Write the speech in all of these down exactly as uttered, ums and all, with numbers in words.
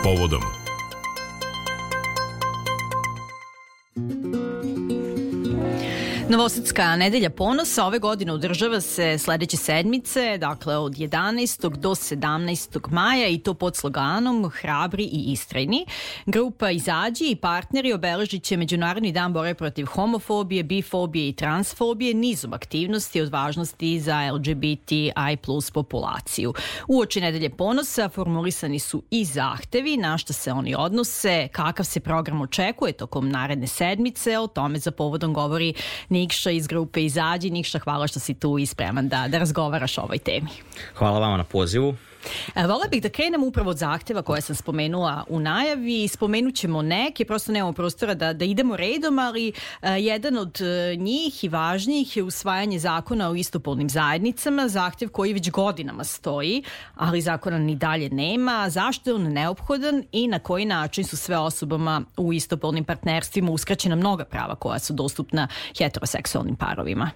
povodom. Novosadska nedelja ponosa ove godine održava se sledeće sedmice, dakle od jedanaestog do sedamnaestog maja i to pod sloganom Hrabri i istrajni. Grupa Izađi i partneri obeležit će Međunarodni dan borbe protiv homofobije, bifobije i transfobije nizom aktivnosti od važnosti za L G B T I plus populaciju. Uoči nedelje ponosa formulisani su i zahtevi na šta se oni odnose, kakav se program očekuje tokom naredne sedmice, o tome za povodom govori Nikša iz grupe Izađi. Nikša, hvala što si tu i spreman da, da razgovaraš o ovoj temi. Hvala vama na pozivu. Vola bih da krenem upravo od zahteva koje sam spomenula u najavi. Spomenut ćemo neke, prosto nemamo prostora da, da idemo redom, ali uh, jedan od uh, njih i važnijih je usvajanje zakona o istopolnim zajednicama, zahtev koji već godinama stoji, ali zakona ni dalje nema. Zašto je on neophodan i na koji način su sve osobama u istopolnim partnerstvima uskraćena mnoga prava koja su dostupna heteroseksualnim parovima?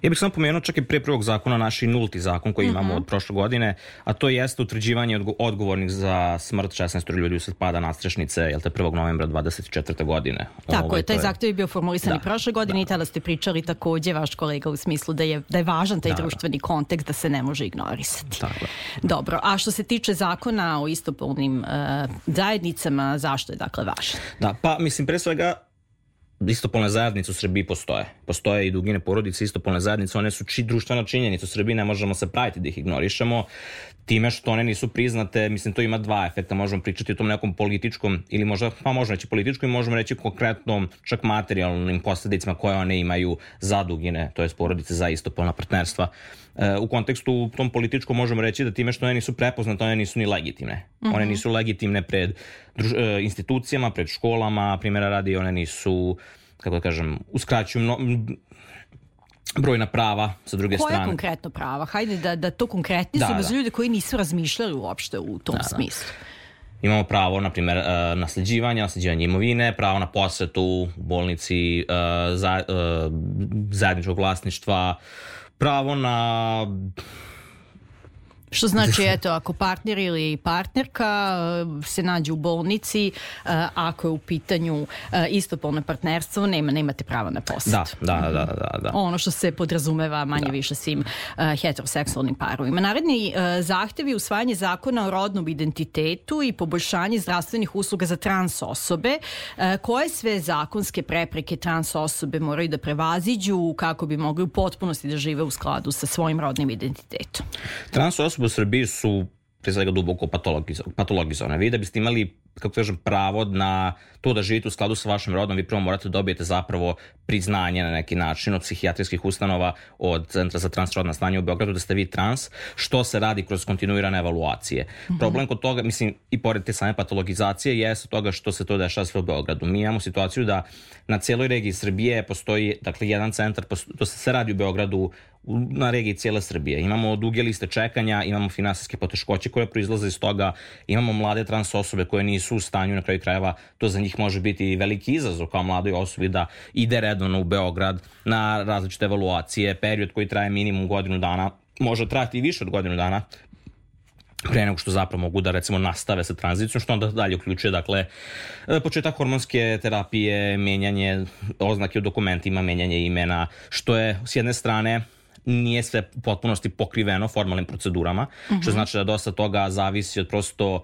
Ja bih samo pomenuo čak i pre prvog zakona naš nulti zakon koji imamo mm-hmm. od prošle godine, a to je utvrđivanje odgovornih za smrt šesnaest ljudi usled pada nadstrešnice, jel te prvog novembra dvadeset četvrte godine. Tako Ovo, je, taj je... zahtev je bio formulisan da, i prošle godine da. I tada ste pričali takođe, vaš kolega, u smislu da je, da je važan taj da, društveni da. kontekst da se ne može ignorisati. Tako. Dobro, a što se tiče zakona o istopolnim uh, zajednicama, zašto je dakle važan? Da, pa mislim pre svega istopolne zajednice u Srbiji postoje. Postoje i dugine porodice, istopolne zajednice, one su či, društvena činjenica u Srbiji, ne možemo se praviti da ih ignorišemo. Time što one nisu priznate, mislim, to ima dva efekta. Možemo pričati o tom nekom političkom, ili možda, pa možemo reći političkom i možemo reći konkretnom, čak materijalnim posledicama koje one imaju za dugine, to je porodice za istopolna partnerstva. E, u kontekstu tom političkom možemo reći da time što one nisu prepoznate, one nisu ni legitimne. Mm-hmm. One nisu legitimne pred druž, e, institucijama, pred školama, primjera radi, one nisu, kako da kažem, uskraćuju mno, brojna prava sa druge Koje strane. Koje konkretno prava? Hajde da, da to konkretni su da, za ljude koji nisu razmišljali uopšte u tom da, smislu. Da. Imamo pravo, na primjer, uh, nasleđivanja, nasleđivanje imovine, pravo na posetu u bolnici, uh, za, uh, zajedničkog vlasništva, pravo na... Što znači, eto, ako partner ili partnerka se nađe u bolnici, ako je u pitanju istopolno partnerstvo, nema, nemate prava na posjet. Da, da, da, da, da. Ono što se podrazumeva manje da. više svim uh, heteroseksualnim parovima. Naredni uh, zahtev je usvajanje zakona o rodnom identitetu i poboljšanje zdravstvenih usluga za trans osobe. Uh, koje sve zakonske prepreke trans osobe moraju da prevaziđu kako bi mogli u potpunosti da žive u skladu sa svojim rodnim identitetom? Trans osobe u Srbiji su pre svega duboko patologizovane. Vi da biste imali, kako kažem, pravo na to da živite u skladu sa vašim rodom, vi prvo morate da dobijete zapravo priznanje na neki način od psihijatrijskih ustanova, od Centra za transrodna stanja u Beogradu da ste vi trans, što se radi kroz kontinuirane evaluacije. Mm-hmm. Problem kod toga, mislim, i pored te same patologizacije, jeste toga što se to dešava sve u Beogradu. Mi imamo situaciju da na cijeloj regiji Srbije postoji, dakle, jedan centar, to se sve radi u Beogradu, na regiji cijele Srbije. Imamo duge liste čekanja, imamo finansijske poteškoće koje proizlaze iz toga, imamo mlade trans osobe koje nisu u stanju, na kraju krajeva to za njih može biti veliki izazov kao mladoj osobi da ide redovno u Beograd na različite evaluacije, period koji traje minimum godinu dana, može trajati i više od godinu dana pre nego što zapravo mogu da recimo nastave sa tranzicijom, što onda dalje uključuje dakle početak hormonske terapije, menjanje oznake u dokumentima, menjanje imena, što je s jedne strane nije sve u potpunosti pokriveno formalnim procedurama, mm-hmm. što znači da dosta toga zavisi od prosto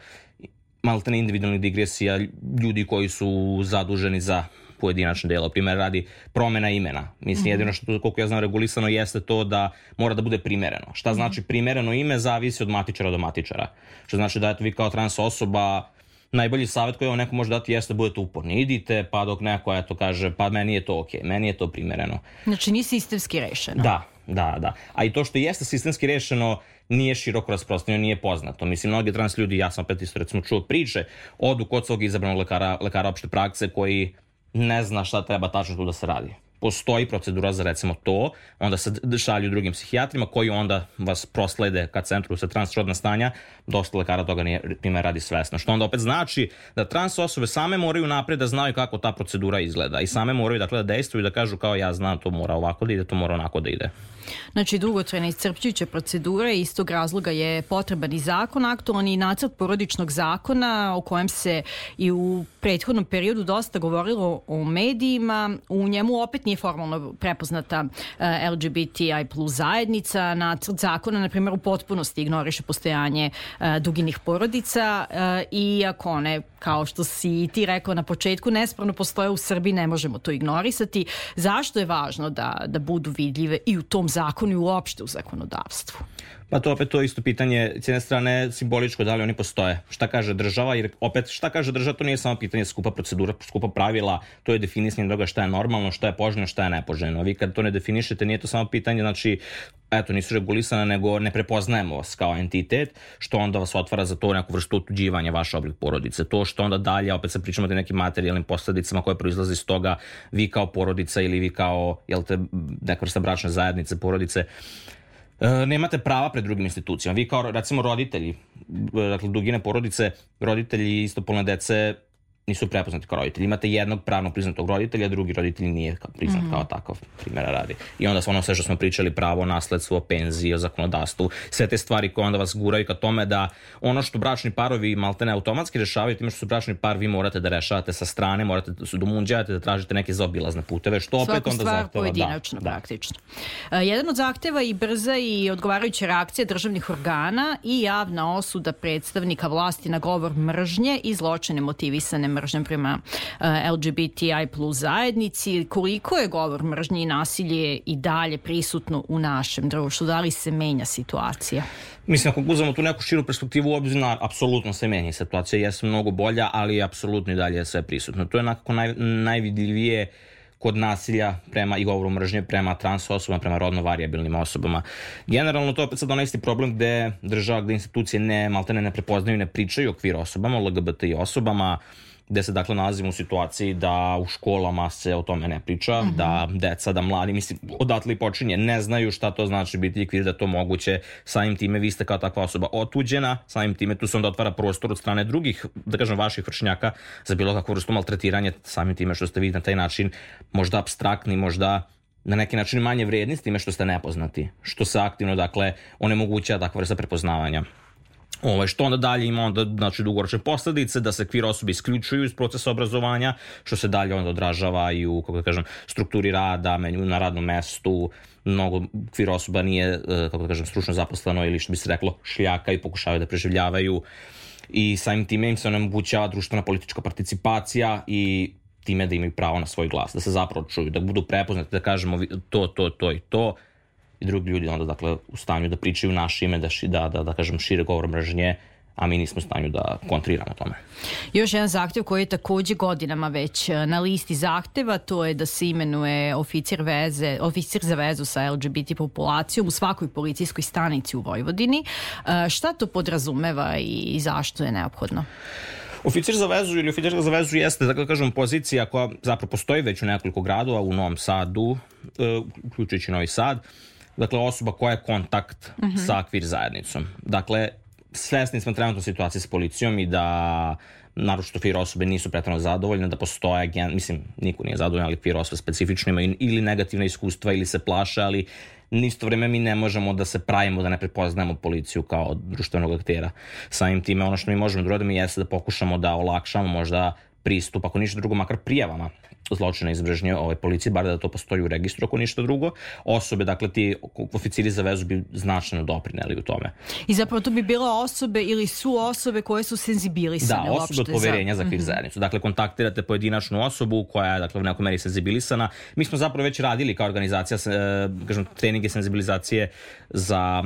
maltene individualnih digresija ljudi koji su zaduženi za pojedinačno delo. Primjer radi promjena imena. Mislim, mm-hmm. jedino što, koliko ja znam, regulisano jeste to da mora da bude primereno. Šta znači primereno ime zavisi od matičara do matičara. Što znači da eto, vi kao trans osoba, najbolji savjet koji vam neko može dati jeste da budete uporni. Idite, pa dok neko eto kaže, pa meni je to okej, meni je to primereno. Znači nije sistemski rešeno. Da, da, da. A i to što jeste sistemski rešeno nije široko rasprostranjeno, nije poznato. Mislim, mnogi trans ljudi, ja sam opet isto recimo čuo priče, odu kod svog izabranog lekara, lekara opšte prakse koji ne zna šta treba tačno tu da se radi. postoji procedura za recimo to, onda se šalju drugim psihijatrima koji onda vas proslede ka centru za transrodna stanja, dosta lekara toga nije, time radi svesno. Što onda opet znači da trans osobe same moraju napred da znaju kako ta procedura izgleda i same moraju dakle da dejstvuju i da kažu kao ja znam to mora ovako da ide, to mora onako da ide. Znači, dugotrajna iscrpljujuća procedura i iz tog razloga je potreban i zakon, aktualni nacrt porodičnog zakona o kojem se i u prethodnom periodu dosta govorilo o medijima. U njemu opet nije formalno prepoznata L G B T I plus zajednica. Nacrt zakona, na primjer, u potpunosti ignoriše postojanje duginih porodica, iako one, kao što si i ti rekao na početku, nespravno postoje u Srbiji, ne možemo to ignorisati. Zašto je važno da, da budu vidljive i u tom zakonu i uopšte u zakonodavstvu? Pa to opet to isto pitanje, s jedne strane simboličko, da li oni postoje. Šta kaže država, jer opet šta kaže država, to nije samo pitanje skupa procedura, skupa pravila, to je definisanje toga šta je normalno, šta je poželjno, šta je nepoželjno. Vi kad to ne definišete, nije to samo pitanje, znači, eto, nisu regulisane, nego ne prepoznajemo vas kao entitet, što onda vas otvara za to neku vrstu otuđivanja vaše oblik porodice. To što onda dalje, opet se pričamo o nekim materijalnim posledicama koje proizlaze iz toga, vi kao porodica ili vi kao, jel te, neka vrsta bračne zajednice, porodice, E, nemate prava pred drugim institucijama. Vi kao, recimo, roditelji, dakle, dugine porodice, roditelji istopolne dece nisu prepoznati kao roditelji. Imate jednog pravno priznatog roditelja, a drugi roditelj nije priznat mm-hmm. kao takav, primjera radi. I onda ono sve što smo pričali, pravo, nasledstvo, penzije, o zakonodavstvu, sve te stvari koje onda vas guraju ka tome da ono što bračni parovi maltene automatski rešavaju, time što su bračni par, vi morate da rešavate sa strane, morate da se domunđavate, da tražite neke zaobilazne puteve, što opet svaku onda stvar zahteva. Pojedinačno, da, praktično. Da. Jedan od zahteva i brza i odgovarajuća reakcija državnih organa i javna osuda predstavnika vlasti na govor mržnje i zločine motivisane mržnjem prema L G B T I plus zajednici. Koliko je govor mržnje i nasilje i dalje prisutno u našem društvu? Da li se menja situacija? Mislim, ako uzmemo tu neku širu perspektivu u obzir, apsolutno se menja situacija, jeste mnogo bolja, ali apsolutno i dalje je sve prisutno. To je nekako naj, najvidljivije kod nasilja prema i govoru mržnje prema trans osobama, prema rodno varijabilnim osobama. Generalno to opet sad onaj isti problem gde država, gde institucije ne, maltene ne prepoznaju, ne pričaju okvir osobama, L G B T I osobama, gde se dakle nalazimo u situaciji da u školama se o tome ne priča, mm-hmm. da deca, da mladi, mislim, odatle i počinje, ne znaju šta to znači biti ikvir, da to moguće, samim time vi ste kao takva osoba otuđena, samim time tu se onda otvara prostor od strane drugih, da kažem, vaših vršnjaka za bilo kakvu vrstu maltretiranja, samim time što ste vi na taj način možda apstraktni, možda na neki način manje vredni s time što ste nepoznati, što se aktivno, dakle, onemogućava takva vrsta prepoznavanja. Ovo, što onda dalje ima onda, znači, dugoročne posledice, da se kvir osobe isključuju iz procesa obrazovanja, što se dalje onda odražava i u, kako da kažem, strukturi rada, na radnom mestu. Mnogo kvir osoba nije, kako da kažem, stručno zaposleno ili što bi se reklo šljaka i pokušavaju da preživljavaju i samim time im se onemogućava društvena politička participacija i time da imaju pravo na svoj glas, da se zapravo čuju, da budu prepoznati, da kažemo to, to, to i to. I drugi ljudi onda, dakle, u stanju da pričaju naše ime, da, da, da, da kažem, šire govor mržnje, a mi nismo u stanju da kontriramo tome. Još jedan zahtev koji je takođe godinama već na listi zahteva, to je da se imenuje oficir, veze, oficir za vezu sa L G B T populacijom u svakoj policijskoj stanici u Vojvodini. Šta to podrazumeva i zašto je neophodno? Oficir za vezu ili oficir za vezu jeste, da kažem, pozicija koja zapravo postoji već u nekoliko gradova, u Novom Sadu, uključujući Novi Sad. Dakle, osoba koja je kontakt mm-hmm. sa kvir zajednicom. Dakle, svesni smo trenutno situacije s policijom i da naročito kvir osobe nisu pretrano zadovoljne, da postoje, mislim, niko nije zadovoljan, ali kvir osobe specifično imaju ili negativne iskustva ili se plaše, ali isto vreme mi ne možemo da se pravimo da ne prepoznajemo policiju kao društvenog aktera. Samim time, ono što mi možemo da uradimo jeste da pokušamo da olakšamo možda pristup, ako ništa drugo, makar prijavama zločina iz mržnje ove policije, bar da to postoji u registru, ako ništa drugo. Osobe, dakle, ti oficiri za vezu bi značajno doprineli u tome. I zapravo to bi bila osobe ili su osobe koje su senzibilisane. Da, osobe od poverenja za, za kvir zajednicu. Dakle, kontaktirate pojedinačnu osobu koja je, dakle, u nekoj meri senzibilisana. Mi smo zapravo već radili kao organizacija, kažem, treninge senzibilizacije za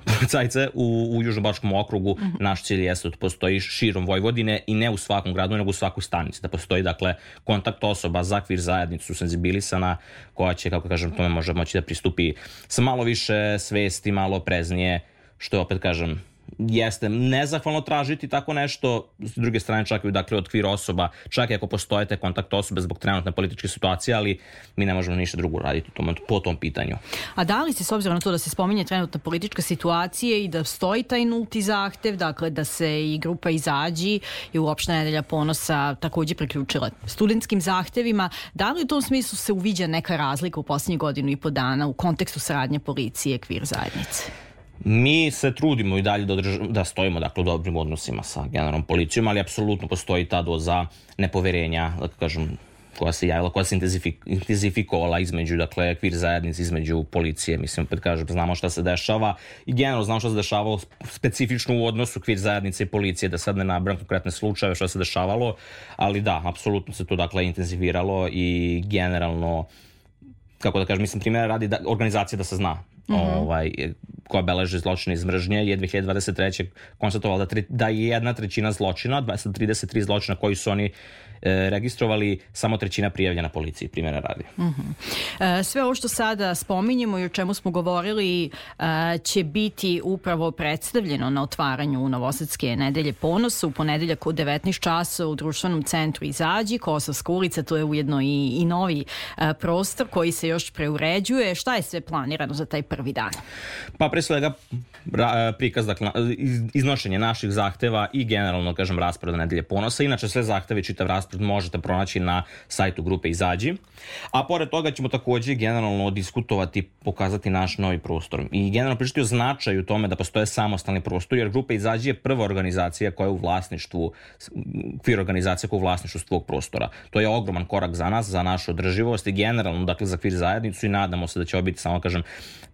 policajce u, u Južnobačkom okrugu. Mm-hmm. Naš cilj jeste da postoji širom Vojvodine i ne u svakom gradu, nego u svakoj stanici. Da postoji, dakle, kontakt osoba za kvir zajednicu senzibilisana koja će, kako kažem, tome može moći da pristupi sa malo više svesti, malo preznije, što je, opet kažem, jeste nezahvalno tražiti tako nešto, s druge strane čak i dakle, od kvir osoba, čak i ako postoje te kontakt osobe zbog trenutne političke situacije, ali mi ne možemo ništa drugo raditi tom, po tom pitanju. A da li se, s obzirom na to da se spominje trenutna politička situacija i da stoji taj nulti zahtev, dakle da se i grupa Izađi i uopšte Nedelja ponosa također priključila studentskim zahtevima, da li u tom smislu se uviđa neka razlika u posljednjih godinu i po dana u kontekstu saradnje policije kvir zajednice? Mi se trudimo i dalje da, održ... da stojimo dakle, u dobrim odnosima sa generalnom policijom, ali apsolutno postoji ta doza nepoverenja, da kažem, koja se javila, koja se intenzifik... intenzifikovala između, dakle, kvir zajednice, između policije. Mislim, opet kažem, znamo šta se dešava i generalno znamo šta se dešavalo specifično u odnosu kvir zajednice i policije, da sad ne nabrajam konkretne slučajeve šta se dešavalo, ali da, apsolutno se to, dakle, intenziviralo i generalno, kako da kažem, mislim, primjera radi da, organizacija da se zna. Mm-hmm. Ovaj, koja beleži zločine iz mržnje, je dve hiljade dvadeset treće konstatovala da, tre, da je jedna trećina zločina, dvesta trideset tri zločina koji su oni e, registrovali, samo trećina prijavljena policiji, primjera radi. Mm-hmm. E, sve ovo što sada spominjemo i o čemu smo govorili e, će biti upravo predstavljeno na otvaranju Novosadske Nedelje ponosa u ponedeljak od devetnaest časova u društvenom centru Izađi, Kosovska ulica, to je ujedno i, i novi e, prostor koji se još preuređuje. Šta je sve planirano za taj prvi dan? Pa pre svega prikaz, dakle, iznošenje naših zahteva i generalno, kažem, raspored Nedelje ponosa. Inače, sve zahteve, čitav raspored možete pronaći na sajtu grupe Izađi. A pored toga ćemo također generalno diskutovati, pokazati naš novi prostor. I generalno pričati o značaju tome da postoje samostalni prostor, jer grupa Izađi je prva organizacija koja je u vlasništvu, kvir organizacija koja je u vlasništvu svog prostora. To je ogroman korak za nas, za našu održivost i generalno, dakle, za kvir zajednicu i nadamo se da će ovo biti, samo kažem,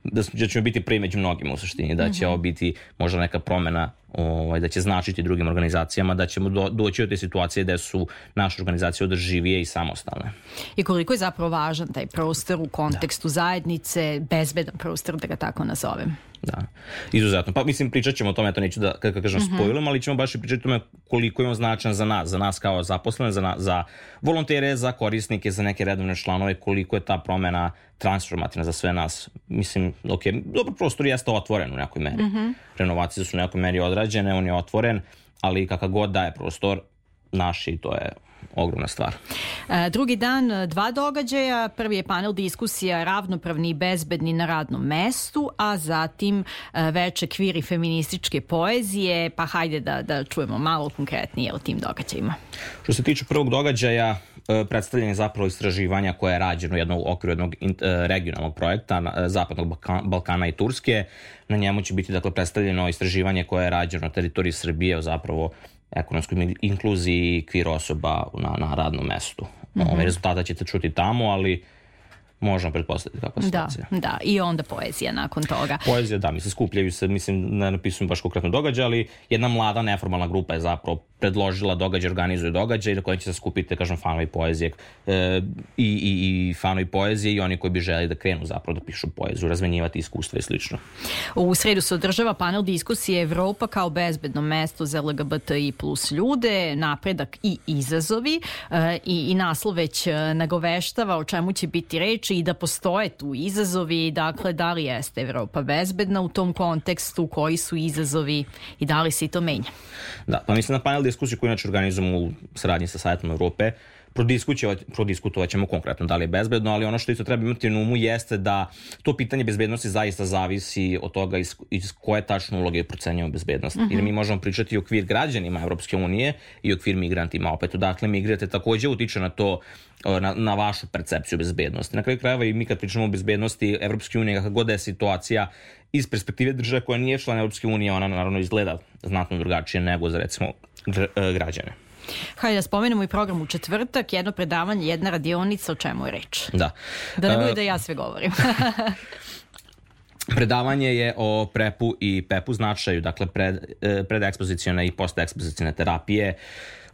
da ćemo biti prvi među mnogima u suštini, da će ovo biti možda neka promjena, ovaj, da će značiti drugim organizacijama, da ćemo do, doći od te situacije da su naše organizacije održivije i samostalne. I koliko je zapravo važan taj prostor u kontekstu da. zajednice, bezbedan prostor, da ga tako nazovem? Da, izuzetno. Pa mislim, pričat ćemo o tome, ja to neću da, kako kažem, mm-hmm. spojilom, ali ćemo baš i pričati o tome koliko je on značan za nas, za nas kao zaposlene, za, na, za volontere, za korisnike, za neke redovne članove, koliko je ta promjena transformativna za sve nas. Mislim, ok, dobro, prostor jeste otvoren u nekoj meri. Mm-hmm. Renovacije su u nekoj meri odrađene, on je otvoren, ali kakav god daje prostor, naši, to je ogromna stvar. E, drugi dan, dva događaja. Prvi je panel diskusija ravnopravni i bezbedni na radnom mestu, a zatim e, veče kvir i feminističke poezije. Pa hajde da, da čujemo malo konkretnije o tim događajima. Što se tiče prvog događaja, e, predstavljanje zapravo istraživanja koje je rađeno u jednom okviru jednog in, e, regionalnog projekta na, Zapadnog Balkana, Balkana i Turske. Na njemu će biti, dakle, predstavljeno istraživanje koje je rađeno na teritoriji Srbije o zapravo ekonomskoj inkluziji kvir osoba na, na radnom mestu. Mm-hmm. Ove rezultata ćete čuti tamo, ali možemo pretpostaviti kakva situacija. Da, da, i onda poezija nakon toga. Poezija, da, mislim, skupljaju se, mislim, ne napisujem baš konkretno događaj, ali jedna mlada neformalna grupa je zapravo predložila događaj, organizuje događaj na kojem će se skupiti, kažem, fanovi poezije e, i, i, i fanovi poezije i oni koji bi želi da krenu zapravo da pišu poeziju, razmenjivati iskustva i slično. U sredu se održava panel diskusije Evropa kao bezbedno mesto za L G B T I plus ljude, napredak i izazovi e, i, i naslov već nagoveštava o čemu će biti reči i da postoje tu izazovi, dakle, da li jeste Evropa bezbedna u tom kontekstu, koji su izazovi i da li se i to menja? Da, pa mislim na panel diskusiju koju inače organizujemo u saradnji sa Savjetom Evrope, prodiskutovat ćemo konkretno da li je bezbedno, ali ono što isto treba imati na umu jeste da to pitanje bezbednosti zaista zavisi od toga iz, iz koje tačno uloge procenjujemo bezbednost. Mm-hmm. Jer mi možemo pričati i okvir građanima Evropske unije i okvir migrantima. Opet, dakle, migrante također utiče na to, na, na vašu percepciju bezbednosti. Na kraju krajeva i mi kad pričamo o bezbednosti Evropske unije, kako god je situacija iz perspektive države koja nije član Evropske unije, ona naravno izgleda znatno drugačije nego za, recimo, građane. Hajde da spomenemo i program u četvrtak, jedno predavanje, jedna radionica, o čemu je reč. Da. Da ne bude da ja sve govorim. Predavanje je o prepu i pepu značaju, dakle pred, predekspozicijone i postekspozicijone terapije,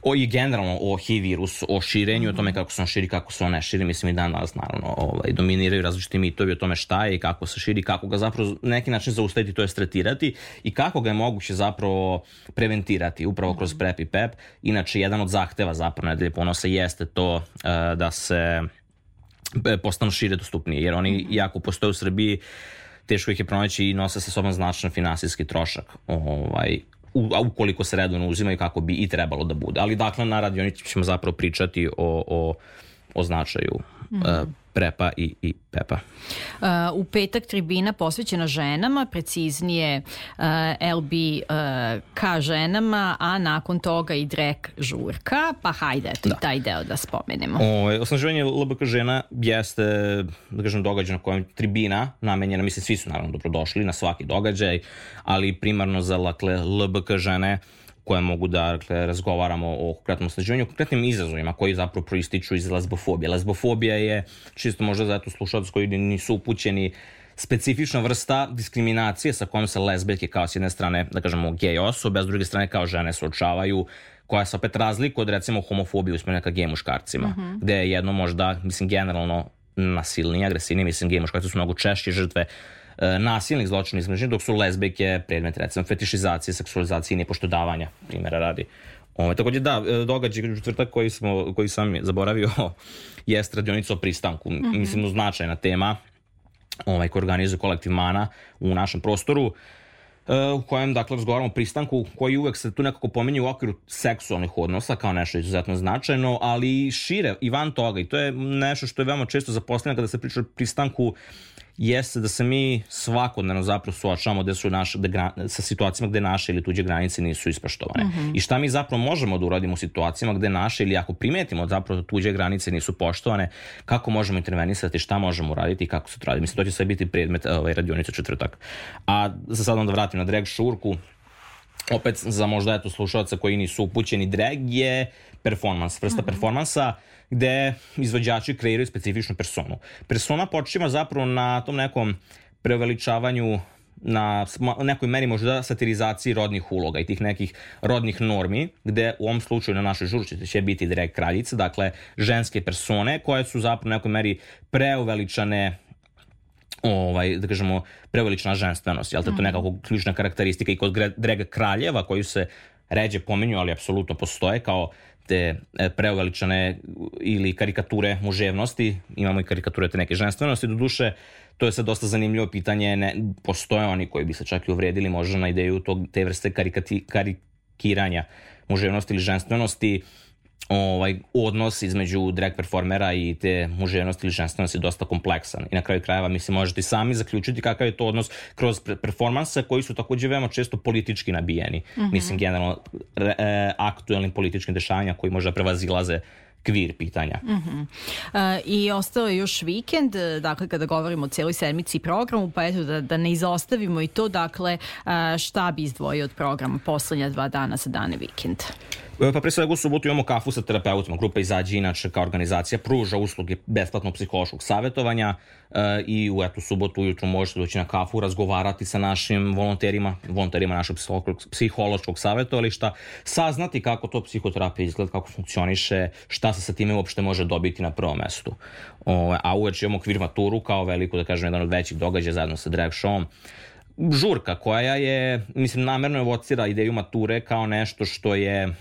o i generalno o H I V virusu, o širenju, mm-hmm. o tome kako se on širi, kako se on ne širi. Mislim i dan danas naravno ovaj, dominiraju različiti mitovi o tome šta je i kako se širi, kako ga zapravo na neki način zaustaviti, to je tretirati i kako ga je moguće zapravo preventirati upravo kroz prep i pep. Inače, jedan od zahteva zapravo Nedelje ponosa jeste to uh, da se postanu šire dostupnije, jer oni, iako postoje u Srbiji, teško ih je pronaći i nose sa sobom značajan finansijski trošak, ovaj, u, a ukoliko se redovno uzimaju kako bi i trebalo da bude. Ali dakle, na radionici ćemo zapravo pričati o, o, o značaju mm. uh, prepa i, i pepa. Uh, u petak tribina posvećena ženama, preciznije uh, L B uh, ka ženama, a nakon toga i drek žurka, pa hajde, eto da. I taj deo da spomenemo. O, osnaživanje L B K žena jeste, da kažem, događaj na kojem tribina namenjena, mislim, svi su naravno dobrodošli na svaki događaj, ali primarno za dakle, L B K žene koje mogu da dakle, razgovaramo o konkretnom osnaživanju, konkretnim izazovima koji zapravo proističu iz lesbofobije. Lesbofobija je, čisto možda za eto slušalac koji nisu upućeni, specifična vrsta diskriminacije sa kojom se lezbijke kao s jedne strane, da kažemo, gej osobe, a s druge strane kao žene suočavaju, koja se opet razlikuje od recimo homofobije usmjerene ka gej muškarcima, uh-huh. gde je jedno možda, mislim, generalno nasilnije, agresivnije, mislim, gej muškarci su mnogo češće žrtve nasilnih zločina između, dok su lezbijke predmet recimo fetišizacije, seksualizacije i nepoštodavanja, primjera radi. Ove, također da, događaj četvrtak koji, smo, koji sam zaboravio jest radionica o pristanku. Mm-hmm. Mislim, značajna tema ovaj, koji organizuje kolektiv Mana u našem prostoru, u kojem, dakle, razgovaramo o pristanku koji uvek se tu nekako pominje u okviru seksualnih odnosa kao nešto izuzetno značajno, ali šire i van toga, i to je nešto što je veoma često zaposleno kada se priča o pristanku, jeste da se mi svakodnevno zapravo suočavamo gde su naše, gde, sa situacijama gde naše ili tuđe granice nisu ispoštovane. Mm-hmm. I šta mi zapravo možemo da uradimo u situacijama gde naše ili ako primetimo zapravo tuđe granice nisu poštovane, kako možemo intervenisati, šta možemo uraditi i kako se to radi. Mislim, to će sve biti predmet ovaj, radionice četvrtak. A za sad onda vratim na drag šurku. Opet za možda eto slušalca koji nisu upućeni, drag je performans, vrsta mm-hmm. performansa gde izvođači kreiraju specifičnu personu. Persona počiva zapravo na tom nekom preuveličavanju, na nekoj meri možda satirizaciji rodnih uloga i tih nekih rodnih normi, gde u ovom slučaju na našoj žurci će biti drag kraljice, dakle ženske persone koje su zapravo na nekoj meri preuveličane, ovaj, da kažemo, preuveličana ženstvenost. Jel te, to je nekako ključna karakteristika i kod drag kraljeva koji se ređe pominju, ali apsolutno postoje kao te preuveličane ili karikature muževnosti, imamo i karikature te neke ženstvenosti, do duše to je sad dosta zanimljivo pitanje, ne, postoje oni koji bi se čak i uvredili možda na ideju tog, te vrste karikati, karikiranja muževnosti ili ženstvenosti. Ovaj, odnos između drag performera i te muževnosti ili ženstvenosti je dosta kompleksan i na kraju krajeva mislim možete sami zaključiti kakav je to odnos kroz performanse koji su također veoma često politički nabijeni. Mm-hmm. Mislim generalno re, e, aktuelnim političkim dešavanja koji možda prevazilaze kvir pitanja. Uh-huh. Uh, I ostao je još vikend, dakle kada govorimo o cijeloj sedmici i programu, pa eto da, da ne izostavimo i to, dakle uh, šta bi izdvojio od programa poslednja dva dana za dane vikend? Pa pre svega u subotu imamo kafu sa terapeutima. Grupa Izađi inače kao organizacija pruža usluge besplatnog psihološkog savjetovanja uh, i u etu subotu ujutru možete doći na kafu, razgovarati sa našim volonterima, volonterima našeg psihološkog savjetovališta, saznati kako to psihoterapija izgleda, kako funkcioniše, šta se sa time uopšte može dobiti na prvom mestu. Uh, a uveče imamo kvir maturu kao veliku, da kažem, jedan od većih događaja zajedno sa drag showom. Žurka koja je, mislim, namerno evocira ideju mature kao nešto što je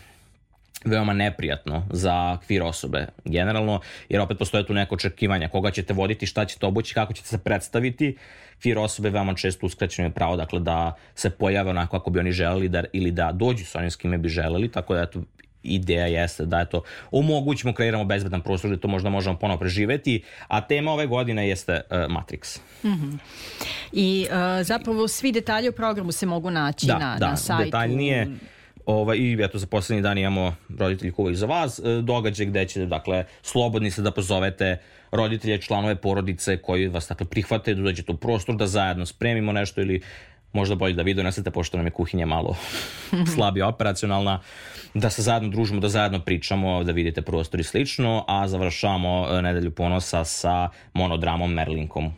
veoma neprijatno za kvir osobe generalno, jer opet postoje tu neko očekivanja koga ćete voditi, šta ćete obući, kako ćete se predstaviti. Kvir osobe veoma često uskraćeno je pravo, dakle, da se pojave onako kako bi oni želeli da, ili da dođu sa onim s kime bi želeli, tako da eto, ideja jeste da eto, omogućimo, kreiramo bezbedan prostor da to možda možemo ponovo preživeti, a tema ove godine jeste uh, Matrix. Mm-hmm. I uh, zapravo svi detalji o programu se mogu naći da, na, da, na sajtu. Detaljnije. Ovaj, I eto, za poslednji dan imamo roditelji kuvaju za vas, događaj gde ćete, dakle, slobodni se da pozovete roditelje, članove porodice koji vas, dakle, prihvate, da dođete u prostor, da zajedno spremimo nešto ili možda bolje da vi donesete, pošto nam je kuhinja malo slabije operacionalna, da se zajedno družimo, da zajedno pričamo, da vidite prostor i slično, a završavamo Nedelju ponosa sa monodramom Merlinkom.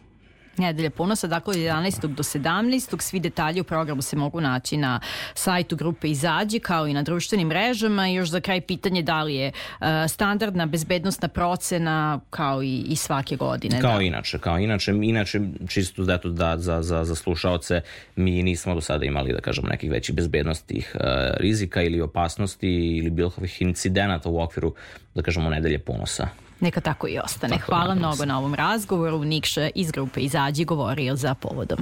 Nedelja ponosa, dakle od jedanaestog do sedamnaestog Svi detalji u programu se mogu naći na sajtu grupe Izađi kao i na društvenim mrežama. I još za kraj pitanje da li je uh, standardna bezbednostna procena kao i, i svake godine. Kao da. inače, kao inače, inače čisto da, da za, za, za slušaoce mi nismo do sada imali, da kažemo, nekih većih bezbednostnih uh, rizika ili opasnosti ili bilo kakvih incidenata u okviru, da kažemo, Nedelje ponosa. Neka tako i ostane. Tako Hvala mnogo na ovom razgovoru. Nikša iz grupe Izađi govorio za Povodom.